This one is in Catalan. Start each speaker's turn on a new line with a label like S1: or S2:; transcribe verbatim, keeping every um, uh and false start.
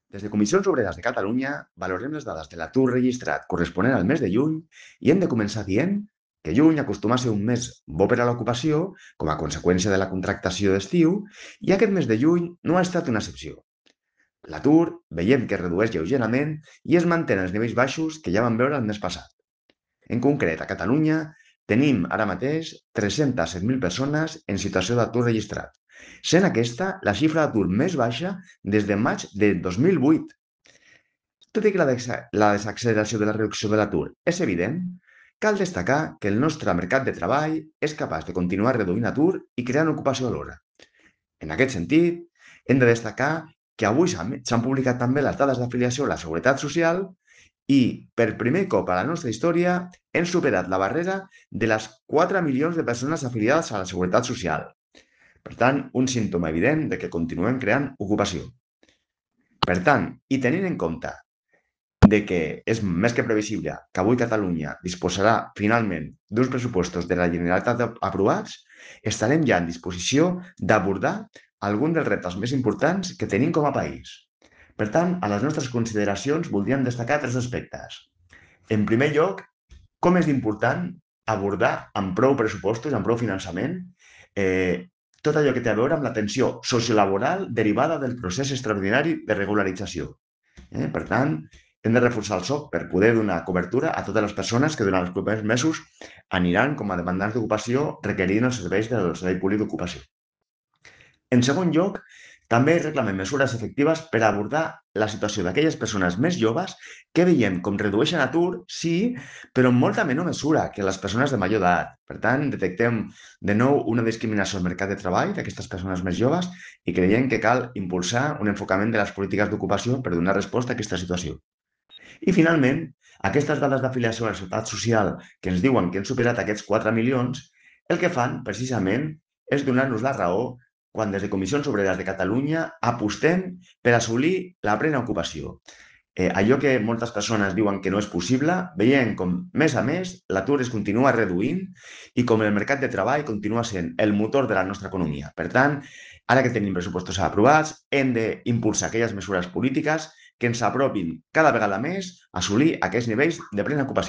S1: Des de Comissions Obreres de Catalunya valorem les dades de l'atur registrat corresponent al mes de juny i hem de començar dient que juny acostuma a ser un mes bo per a l'ocupació com a conseqüència de la contractació d'estiu i aquest mes de juny no ha estat una excepció. L'atur veiem que es redueix lleugerament i es mantén als nivells baixos que ja vam veure el mes passat. En concret, a Catalunya tenim ara mateix tres-centes set mil persones en situació d'atur registrat, sent aquesta la xifra d'atur més baixa des de maig de dos mil vuit. Tot i que la, dexa- la desacceleració de la reducció de l'atur és evident, cal destacar que el nostre mercat de treball és capaç de continuar reduint atur i creant ocupació alhora. En aquest sentit, hem de destacar que avui s'han s'han publicat també les dades d'afiliació a la Seguretat Social i, per primer cop a la nostra història, hem superat la barrera de les quatre milions de persones afiliades a la Seguretat Social. Per tant, un símptoma evident de que continuem creant ocupació. Per tant, i tenint en compte de que és més que previsible que avui Catalunya disposarà finalment d'uns pressupostos de la Generalitat aprovats, estarem ja en disposició d'abordar algun dels reptes més importants que tenim com a país. Per tant, a les nostres consideracions voldríem destacar tres aspectes. En primer lloc, com és important abordar amb prou pressupostos, amb prou finançament, eh, tot allò que té a veure amb la tensió sociolaboral derivada del procés extraordinari de regularització. Eh? Per tant, hem de reforçar el soc per poder donar cobertura a totes les persones que durant els propers mesos aniran com a demandants d'ocupació requerint els serveis del Servei Públic d'Ocupació. En segon lloc, també reclamem mesures efectives per abordar la situació d'aquelles persones més joves que veiem com redueixen atur, sí, però en molta menor mesura que les persones de major edat. Per tant, detectem de nou una discriminació al mercat de treball d'aquestes persones més joves i creiem que cal impulsar un enfocament de les polítiques d'ocupació per donar resposta a aquesta situació. I finalment, aquestes dades d'afiliació a la Seguretat Social que ens diuen que hem superat aquests quatre milions, el que fan precisament és donar-nos la raó quan des de Comissions Obreres de Catalunya apostem per assolir la plena ocupació. Eh, allò que moltes persones diuen que no és possible, veiem com, mes a mes, l'atur es continua reduint i com el mercat de treball continua sent el motor de la nostra economia. Per tant, ara que tenim pressupostos aprovats, hem d'impulsar aquelles mesures polítiques que ens apropin cada vegada més a assolir aquests nivells de plena ocupació.